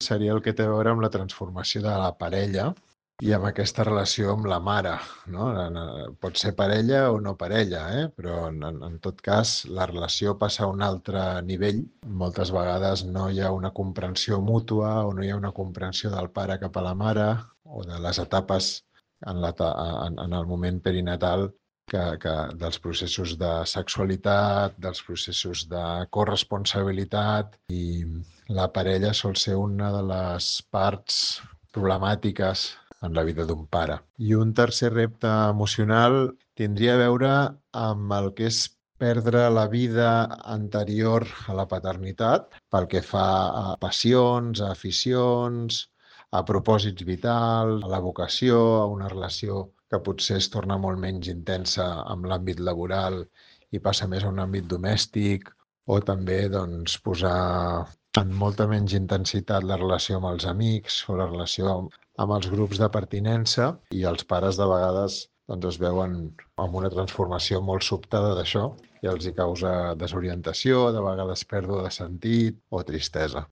seria el que té a veure amb la transformació de la parella i amb aquesta relació amb la mare, no? Pot ser parella o no parella, però en tot cas la relació passa a un altre nivell. Moltes vegades no hi ha una comprensió mútua o no hi ha una comprensió del pare cap a la mare o de les etapes en el moment perinatal dels processos de sexualitat, dels processos de corresponsabilitat, i la parella sol ser una de les parts problemàtiques en la vida d'un pare. I un tercer repte emocional tindria a veure amb el que és perdre la vida anterior a la paternitat pel que fa a passions, a aficions, a propòsits vitals, a la vocació, a una relació que potser es torna molt menys intensa amb l'àmbit laboral i passa més a un àmbit domèstic, o també posar en molta menys intensitat la relació amb els amics o la relació amb els grups de pertinença, i els pares de vegades es veuen amb una transformació molt sobtada d'això i els hi causa desorientació, de vegades pèrdua de sentit o tristesa.